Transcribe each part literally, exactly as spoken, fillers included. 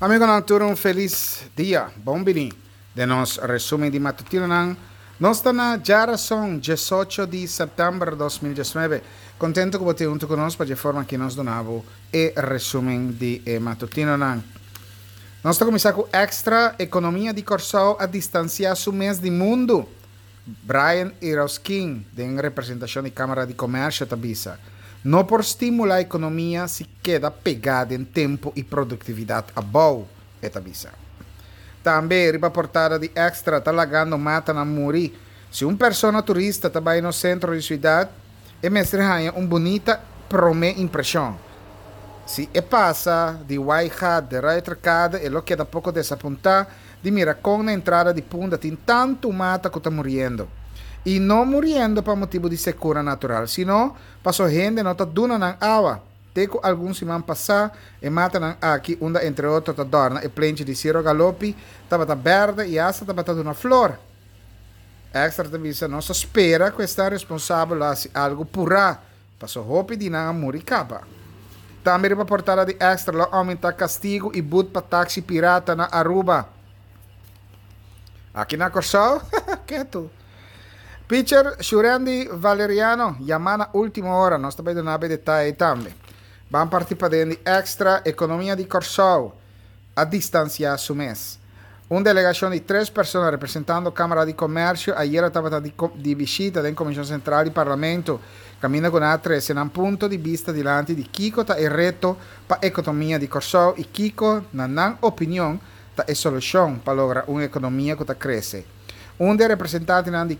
Amigonan tur un felis dia, bon bini den nos resumen di matutinonan. Nos ta na djarason diesocho di sèptèmber dos mil diesnuebe. Kontentu ku bo tin huntu ku nos pa dje forma aki nos duna bo e resumen di e matutinonan. Nos ta kuminsá ku Extra, Ekonomia di Kòrsou a distansiá su mes di mundu, Brian Irausquin den representashon di Kámara di Komèrsio ta bisa. No por stimulá ekonomia si keda pegá den tempu i produktividat abou, e ta bisa. Tambe riba portada di Extra ta lagando matanan muri. Si un persona turista ta bai nos sentro di siudat, e mester haña un bunita promé impreshon. Si e pasa di Waaigat de Ruiterkade e lo keda poko desapuntá di mira kon na entrada di Punda tin tantu mata ku ta muriendo. I no muriendo pa motibu di sekura natural, sino paso hende no ta duna nan awa. Te ku algun siman pasá e matanan aki, unda entre otro ta dòrna e plenchi di Ciro Galopi, tabata bèrdè i asta tabata duna flor. Extra ta bisa, Nos ta spera ku esnan responsabel lo hasi algu purá, paso hopi di nan a muri kaba. Tambe riba portada di Extra lo oumentá kastigu i but pa taksi pirata na Aruba. Aki na Kòrsou, ketu. Pitcher Shurendy Valeriano yamá na último ora, nos ta bai duna bo e detaye tambe. Ban parti paden di Extra, Ekonomia di Kòrsou a distansiá su mes. Un delegashon di tres persona representando Kámara di Komèrsio ayera tabata di di bishita den Komishon Sentral di Parlamento, kaminda ku nan a trese nan punto di bista dilanti di kiko ta e reto pa ekonomia di Kòrsou i kiko, na nan opinion, ta e solushon pa logra un ekonomia ku ta krese. Un di e representantenan di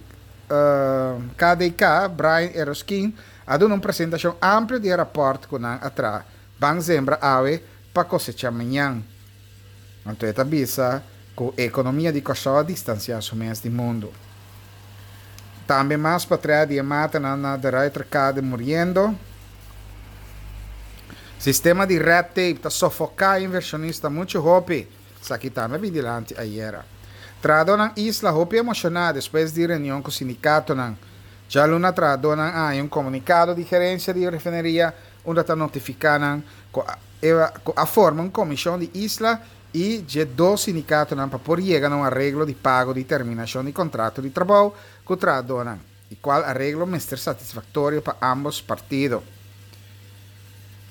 K D K, Brian Eroskin, a duna un presentashon amplio di e rapòrt ku nan a traha Ban Zembra Awe pa Kosecha Mañan. Anto e ta bisa ku e ekonomia di Kòrsou a distansiá su mes di mundu. Tambe mas patria di e matanan na De Ruiterkade muriendo. Sistema di red tape ta sofoká invershonista muchu hopi, esaki tambe a bin dilanti ayera. Trahadónan Isla hopi emoshoná despues di reunion ku sindikatonan. Djaluna trahadónan a haña un komunikado di gerensia di refineria unda ta notifiká nan ku ku a forma un komishon di Isla i dje dos sindikatonan pa por yega na un areglo di pago di terminashon di kontrato di trabou ku trahadónan i kual areglo mester satisfaktorio pa ámbos partido.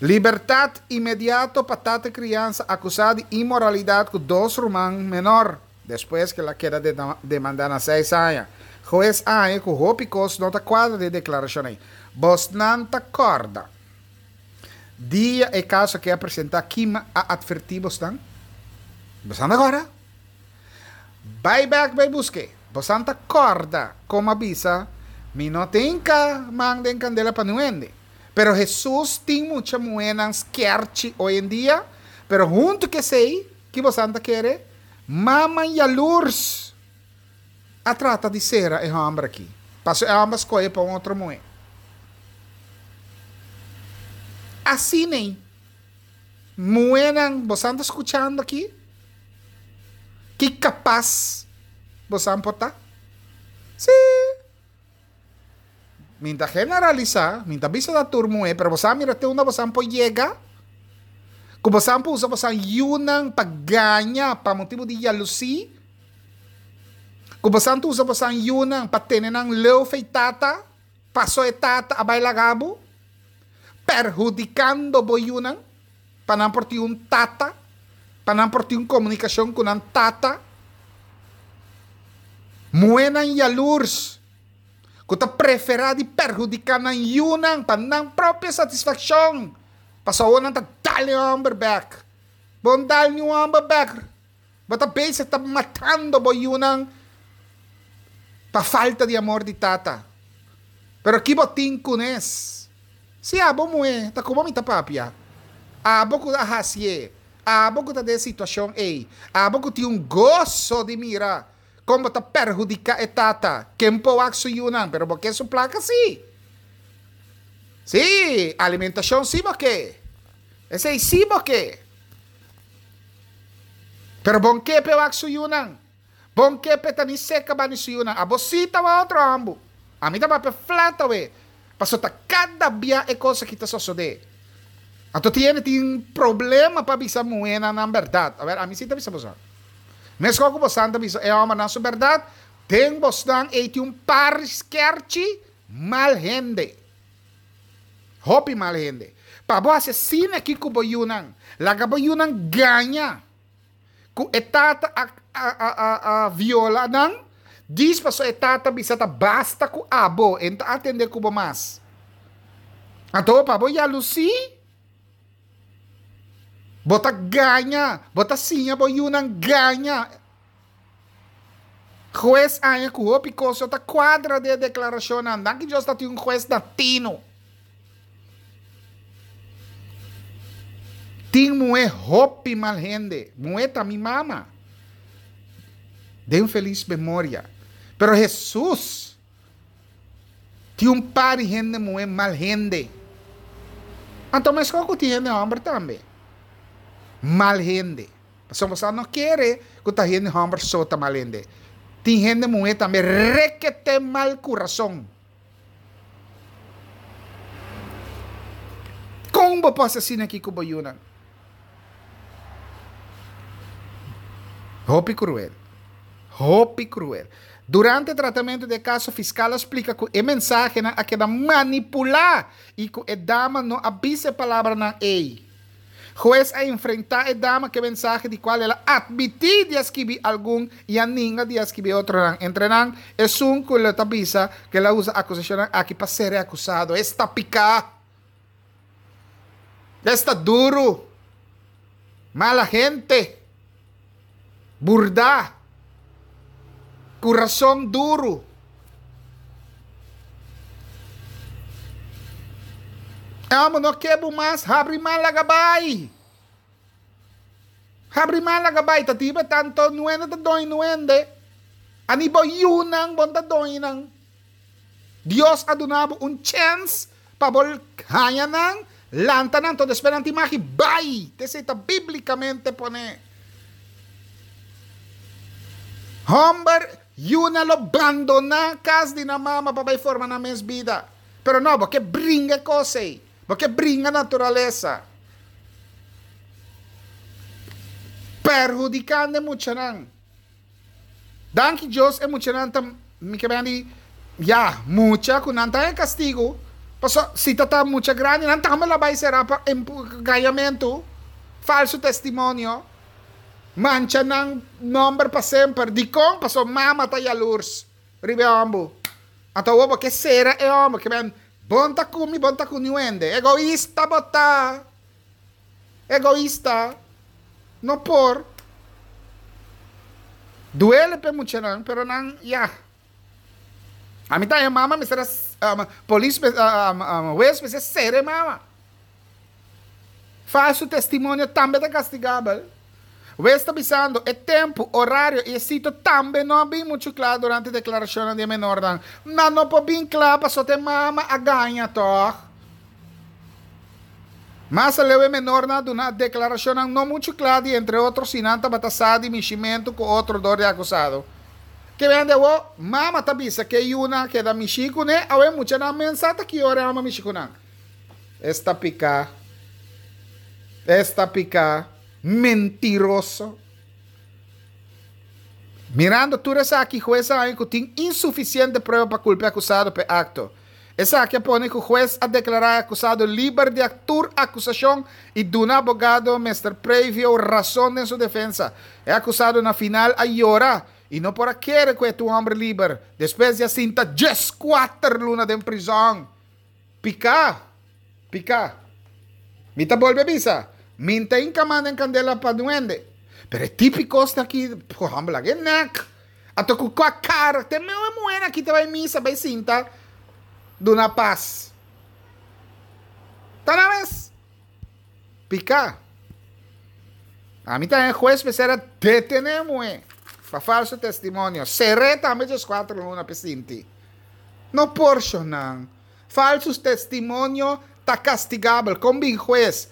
Libertat inmediato pa tata kriansa akusá di inmoralidat ku dos ruman menor despues ku el a keda demandá na seis aña. Hues a haña ku hopi kos no ta kuadra den e deklarashon ei. Bosnan ta kòrda dia e kaso aki a presentá kima a atvertí bosnan? Bosnan ta kòrda? Bai bèk bai busk'é. Bosnan ta kòrda kon a bisa, Mi no tin ka man den kandela pa niun hende. Pero Hesus tin mucha muhénan skèrchi hoy en dia, pero huntu ku esei, ki bosan ta kere? Mama yalurs a trata di sera e hòmber aki, paso e hòmber a skohe pa un otro muhé. Asin'ei, muhénan, bosan ta skuchando aki? Ki kapas bosan por ta? Sí! Mi ta generalisá, mi ta bisa ta tur muhé, pero bosan mira te unda bosan por yega, ku bosan por usa bosan yunan pa gaña pa motibu di yalusí, ku bosan ta usa bosan yunan pa tene nan leu fei tata, paso e tata a bai laga bo, perhudikando bo yunan pa nan por tin un tata, pa nan por tin un komunikashon ku nan tata. Muhénan yalurs. Ku ta preferá di perhudiká nan yunan pa nan propio satisfakshon, pasobra awor nan ta dal e hòmber bèk. Bo no dal niun hòmber bèk, bo ta bezig ta matando bo yunan pa falta di amor di tata. Pero ki bo tin kunes? Si abo muhé, ta komo mi ta papia? Abo ku a hasié, abo ku ta den e situashon ei, abo ku tin un goso di mira Kon bo ta perhudiká e tata? Ken por wak su yunan? Pero bo ke su plaka sí. Sí, alimentashon sí bo ke. Esei sí bo ke. Pero bon ke p'e wak su yunan. Bon ke p'e ta ni seka bani su yunan. Abo sí ta wak otro ambu. Ami ta papia flat awe. Pasobra ta kada bia e kos aki ta sosodé. Anto tin tin problema pa bisa muhénan nan bèrdat. A ber, ami sí ta bisa boso. Meskos ku boso ta bisa e hòmbernan su bèrdat, den bosnan ei tin un par skèrchi mal hende. Hopi mal hende. Pa bo hasi asina aki ku bo yunan, laga bo yunan gaña ku e tata a a a a viola nan, dis paso e tata bisa ta basta ku abo, e no ta atendé ku bo mas. Anto pa bo yalusí, bo ta gaña, bo ta siña bo yunan gaña. Hues haña ku hopi kos ta kuadra den e deklarashonnan. Danki Dios ta tin un hues na tino. Tin muhé hopi mal hende. Muhé ta mi mama. Den felis memoria. Pero Hesus! Tin un par di hende muhé mal hende. Anto meskos ku tin hende hòmber tambe mal hende. Pasobra boso no kere ku ta hende hòmber so ta mal hende. Tin hende muhé tambe rekete mal kurason. Kon bo por hasi asina aki ku bo yunan? Hopi kruel. Hopi kruel. Durante tratamentu di e kaso fiskal a splika ku e mensahenan a keda manipulá i ku e dama no a bisa e palabranan ei. Hues a enfrentá e dama ku e mensahe di kual el a atmití di a skibi algun i a ninga di a skibi otronan. Entre nan, esun ku lo ta bisa ku el a usa akusashonnan aki pa ser e akusado. Esta piká! Esta duru! Mala hente! Burdá, kurason duru. Amo no ke bo mas, habri man laga bai. Habri man laga bai, ta tiba tanto nuende ta doño nuende. Ani bo yunan bon ta doño nan. Dios a duna bo un chèns pa bo haña nan, lanta nan, anto despues nan tin magi bai. T'esei ta bíblikamente poné. Hòmber, yunan lo bandoná kas di nan mama pa bai forma nan mes bida. Pero no, bo ke bringa e kos ei. Bo ke bringa naturalesa. Perhudikando e muchanan. Danki Dios e muchanan ta mi ke bende ya mucha ku nan ta e kastigu paso si ta ta mucha grandi nan tambe lo bai sera pa gañamentu falso testimonio mancha nan nomber pa semper dikon paso mama ta yalurs riba e hombu anto awor bo ke sera e homber ke ben bon ta ku mi bon ta ku niun hende egoista bo ta. Egoista no por. Duele p'e muchanan, pero nan ya. Ami ta e mama mester a polis hues mester sera e mama. Falso testimonio tambe ta kastigabel. Hues ta bisando e tempu, orario i e sitio tambe no a bin muchu kla durante deklarashonnan di e menornan. Nan no por bin kla pasobra e mama a gaña tòg. Mas aleu e menornan a duna deklarashonnan no muchu kla di entre otro si nan tabata sa di mishimentu ku otro dor di akusado. Ke bende awo, mama ta bisa ke yunan a keda mishi kuné, awe muchanan men sa ta ki ora e ama mishi ku nan. Esta piká. Esta piká. Mentiroso. Mirando tur esaki, hues a haña ku tin insufisiente prueba pa kulpa e akusado pa e akto. Esaki a pone ku hues a deklará e akusado liber di tur akusashon i duna abogado Mister Previo rason den su defensa. E akusado na final a yora i no por a kere ku e ta un hòmber liber despues di a sinta dieskuater luna den prizòn. Piká! Piká! Mi ta bolbe bisa, mi n'ta inkamá den kandela pa duende. Pero e tipi kosnan aki, hòmber laga e nèk. Anto ku kua kara te meu e muhernan aki ta bai misa bai sinta duna pas. Ta na mes. Piká. Ami ta e hues mester a detené e muhé pa falso testimonio. Ser'é tambe djeskuater luna p'e sinti. No porshonnan. Falso testimonio ta kastigabel. Kon bin hues?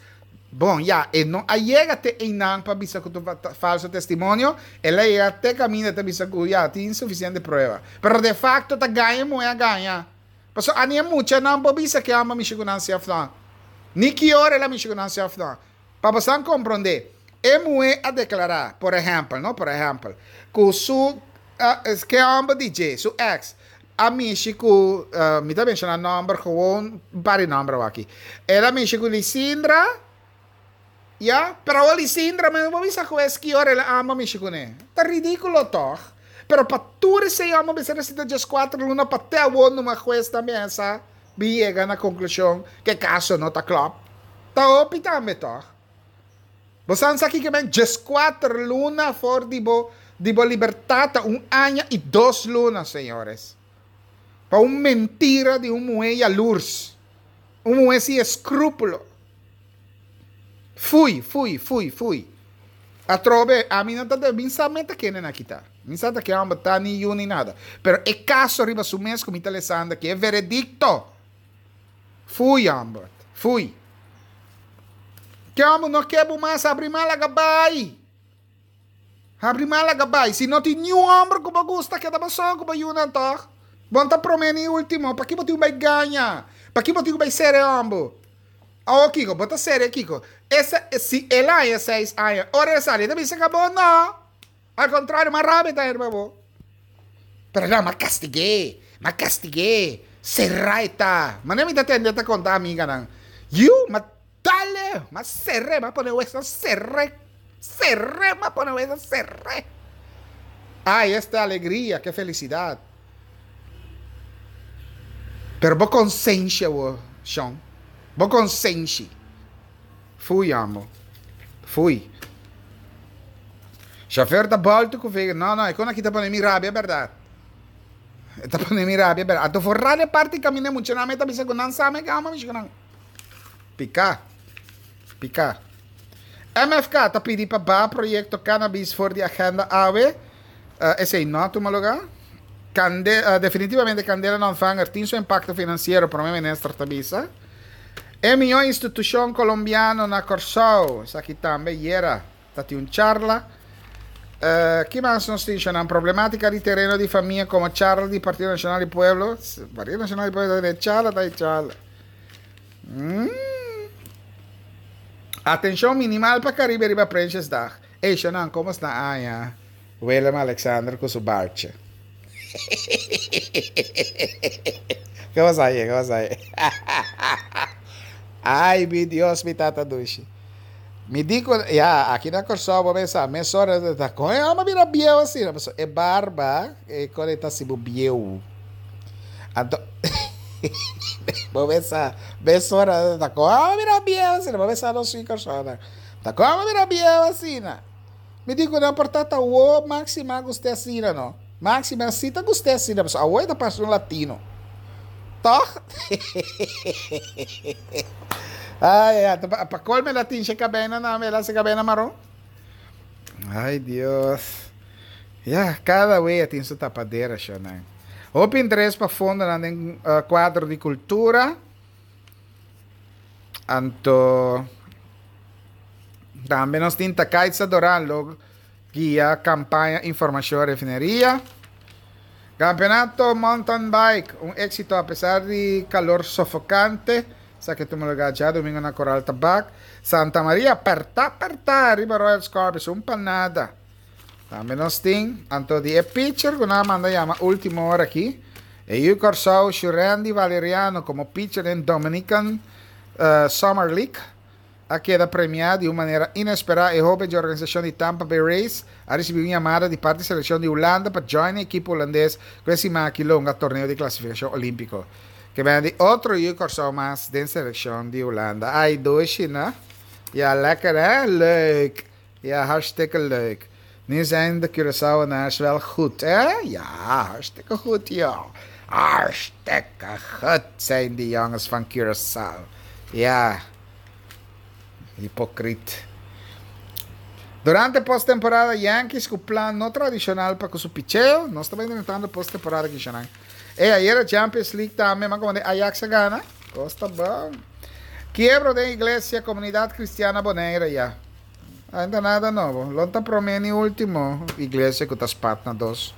Bon, ya, e no a yega te einan pa bisa ku ta falso testimonio, el a yega te kaminda ta bisa ku ya, tin sufisiente prueba. Pero de fakto ta gaña e muhé a gaña. Pasobra ani e muchanan por bisa ke amba mishi ku nan si òf no. Ni ki ora el a mishi ku nan si òf no. Pa boso komprondé, e muhé a deklará, por ehèmpel, no, por ehèmpel, ku su uh, ke hòmber D J, su ex, a mishi ku, uh, mi ta menshoná nòmber gewoon, par di nòmber aki. El a mishi ku Lisindra, ja, pero Lisindra, mi no bisa ku ki ora el a mishi kuné. Ta ridíkulo, toch? Pero pa tur esei hòmber mester a sinta kuater luna pa te awor un hues tambe sa yega na konklushon ku e kaso no ta klòp. Ta hopi tambe, toch? Bo sa kiko ke men kuater luna for di bo di bo libertat, un aña i dos luna, señores. Pa un mentira di un muhé yalurs. Un muhé sin eskrúpulo. Fui, fui, fui, fui. Atrobe, ami no ta mi sa meta ken nan ta. Mi sa ku no ta ni yu ni nada. Pero e kaso riba su mes ku mi ta lesando ku e veredikto. Fui, hòmber. Fui. Ku hòmber no ke mas habri man laga bai. Habri man laga bai. Si no tin ningun hòmber ku gusta, keda bo so ku bo yunan, toch? Bo n' ta promé ni último. Pa kiko bo bai gaña? Pa kiko bo bai sera hòmber? Oh, kiko, bo ta sera, kiko. Essa, si el a seis aña, ora el sali, debe ser akabó, no. Al kontrario, mas rabia ta hermano. Pero no, m'a kastig'é, m'a kastig'é. Sera ta. Mas mi ta tende ta konta amiganan. Yu, m'a dale, m'a ser'é, m'a pone wesu ser'é. Ser'é, m'a pone wesu ser'é. Ay, esta alegria, ke felisidat. Pero bo konsenshi, Sean. Bo konsenshi. Fui, amor. Fui. Chauffeur da volta ku vega. No, no, e kon aki ta pone mi rabia, bèrdat. Ta pone mi rabia, bèrdat. Anto forral e parti kaminda mucha nan ta bisa ku nan sa me kama mi nan. Pika. Pika. M F K ta pidi pa baha proyekto cannabis for di agenda awe. Uh, esei no a tuma lugá. Kande, uh, definitivamente kandela no ontvanger tin su impakto finansiero, promé minister ta bisa. E mihó institushon kolombiano na Kòrsou. Esaki tambe ayera. Tabatin un charla. Uh, ki mas nos tin? Problemátika di tereno di famia komo charla di Partido Nashonal di Pueblo. Partido Nashonal di Pueblo di charla, ta charla. Hum. Atenshon minimal pa Karibe riba Prinsjesdag. Ei, Shonan, kon ta aña? Willem Alexander ku su baardje. Kon ta ei? Kon ta ei? Ai, mi Dios, mi tata dushi. Mi di ku, ja, aki na Kòrsou, bo pensa, mesora, ta kon e hòmber bira bieu asina, e barba, e kon ta si bieu. Anto, bo pensa, mesora, ta kon e hòmber bira bieu asina, bo pensa no sui Kòrsou, ta kon e hòmber bira bieu asina. Mi di ku no por ta o máxima gostei asina, no. Máxima asina ta gostei asina, mas awo ta parse un latino. Toch? Ai, ai, pa kolmo el a tinge kabei na, el a kabei maron. Ai, Dios. Ja, kada wea tin su tapadera, shona. Hopi interes pa fondo den uh, kuadro di kultura. Anto tambe nos tin Takaitza Doran, lo guia kampaña informashon refineria. Kampeonato mountain bike, un éksito apesar di kalor sofokante. Esaki a tuma lugá djadumingu na Coral Tabak. Santa Maria, apertá, apertá, riba Royal Scorpions, un pa nada. Tambe nos tin, anto di e pitcher, ku nan a manda yama último ora aki. E Kòrsou, Shurandy Valeriano, komo pitcher den Dominican uh, Summer League, a keda premiá di un manera inesperá. E hóben di organisashon di Tampa Bay Rays a risibí un yamada di parti di selekshon di Hulanda pa join e ekipo hulandes ku e siman aki lo hunga torneo di klasifikashon olímpiko. Ke men di otro yu Kòrsou mas den selekshon di Hulanda. Ai, dushi, no? Ja, lekker, hè? Leuk. Ja, hartstikke leuk. Nu zijn de Curaçaoenaars wel goed, hè? Ja, hartstikke goed, ja. Hartstikke goed zijn die jongens van Curaçao. Ja. Hipókrita. Durante postemporada, Yankees ku plan no tradishonal pa su picheo. Nos ta entrando postemporada aki, ya. E ayera Champions League tambe, mas kon Ajax a gana? Kos ta bon. Kiebro di iglesia, Komunidat Kristian Bonaire, ya. Ainda nada nobo. Lo n' ta promé ni último iglesia ku ta spat na dos.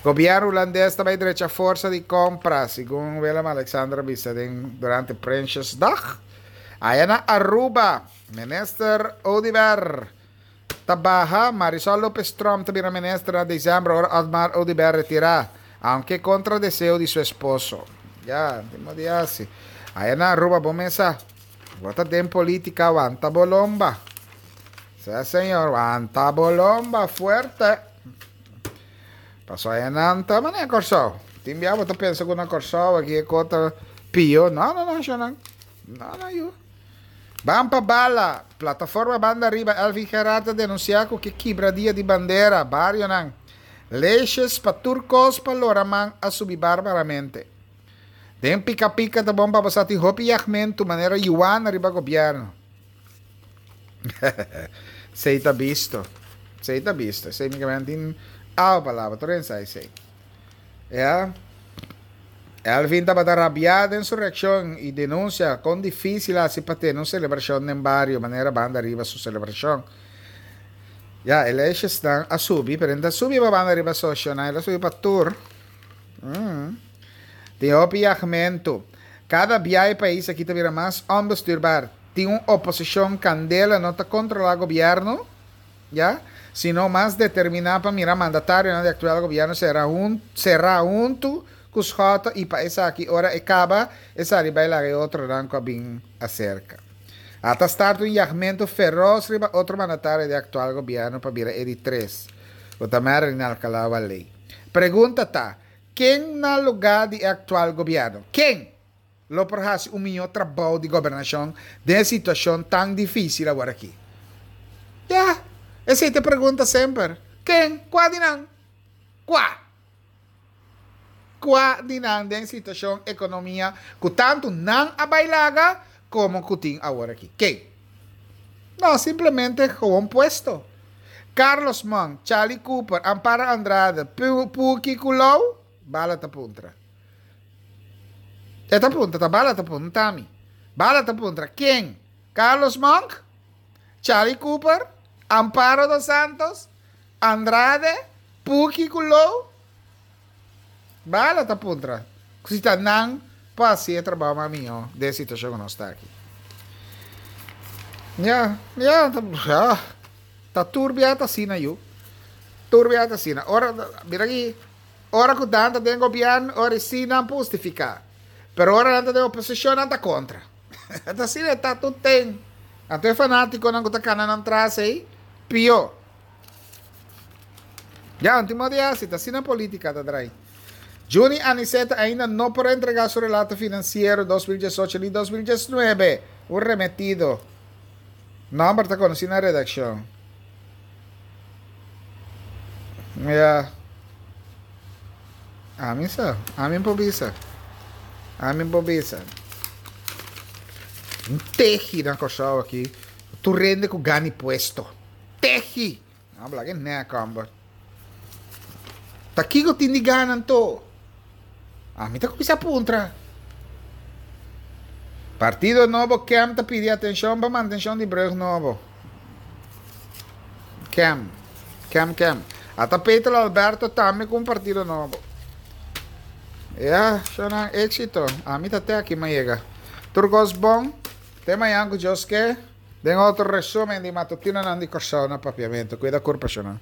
Gobièrnu hulandes tambe drecha forsa di kompra, segun Willem Alexander a bisa durante Prinsjesdag. Aya na Aruba, Minister Oduber ta baha, Marisol Lopez Tromp ta bira minister na december ora Otmar Oduber retira, aunke contra deseo di su esposo. Ya, tin di hasi. Aya na Aruba, bo mesa. Bo ta den politica, wanta bo lomba. Si, señor, wanta bo lomba fuerte. Paso aya nan ta manera Kòrsou. Tin bia bo ta pensa ku na Kòrsou aki e kos ta pió. No, no, no, no. No, no, yu. Ban pa bala. Plataforma Banda Riba Elvin Gerard a denunsiá ku ke kibra dia di bandera. Barionan. Leges pa tur kos pa lora man a subi barbaramente. Den pika pika ta bon pa bo sa tin hopi yagmentu manera yuana riba gobièrnu. Esei ta bisto. Esei ta bisto. Esei mi ke tin awa palabra. Tur hende sa esei. Ya. Elvin tabata rabiá den su reakshon i denunsia kon difísil a hasi pa tene un selebrashon den bario manera Banda Riba su selebrashon. Ya, e leyesnan a subi, pero e no ta subi pa Banda Riba so, shonnan, el a subi pa tur. Mm. Tin hopi yagmentu. Kada bia e pais aki ta bira mas onbestuurbaar. Tin un oposishon kandela no ta kontrolá gobièrnu, ya, sino mas determiná pa mira mandatarionan di aktual gobièrnu sera hun será huntu ku Schotte i pa esaki ora e kaba e sali bai laga e otronan ku a bin aserka. A ta start un yagmentu feros riba otro mandatario di aktual gobièrnu pa bira e di tres, ku ta Marilyn Alcalá Wallé. Pregunta ta, ken na lugá di e aktual gobièrnu? Ken? Lo por hasi un mihó trabou di gobernashon den e situashon tan difísil aworakí? Ya, esei ta e pregunta semper. Ken? Kua di nan? Kua? Kua di nan den situashon ekonomia ku tantu nan a bai laga komo ku tin aworakí? Ken? No, simplemente gewoon puesto. Carlos Monk, Charlie Cooper, Amparo Andrade, Puki ku Lou? Bala ta puntra. E ta puntra, ta Bala ta puntra mi. Bala ta puntra, ken? Carlos Monk? Charlie Cooper? Amparo dos Santos? Andrade? Puki ku Lou? Bala ta puntra. Si ta nan por hasi e trabou mas mihó den e situashon ku nos ta aki. Ya, ya, ya. Ta tur bia ta asina yu. Tur bia ta asina. Ora, mira aki, ora ku nan ta den gobièrnu, ora si nan por hustifiká. Pero ora nan ta den oposishon, nan ta kontra. Ta asina e ta tur ten. Anto e fanátikonan ku ta kana nan tras ei, pió. Ya, un tin modo di hasi, ta asina polítika ta drai. Juni Aniceta ainda no por a entregá su relato finansiero dos mil diesocho ni dos mil diesnuebe. Un remetido. Nòmber ta konosí na redakshon. Ya. Ami sa. Ami por bisa. Ami por bisa. Un tehi na Kòrsou aki. Tur hende ku gani puesto. Tehi! No habla ke nek homber. Ta kiko tin di gana anto? Ami ta kuminsá puntra. Partido Nobo Kem ta pidi atenshon pa mantenshon di brug nobo. Kem. Kem kem. Ata Peter Alberto tambe ku un partido nobo. Ya, shonnan éxito. Ami ta te aki mi a yega. Tur kos bon. Te mañan ku Dios ke. Den otro resumen di matutinonan di Kòrsou na Papiamentu. Kuida kurpa shonnan.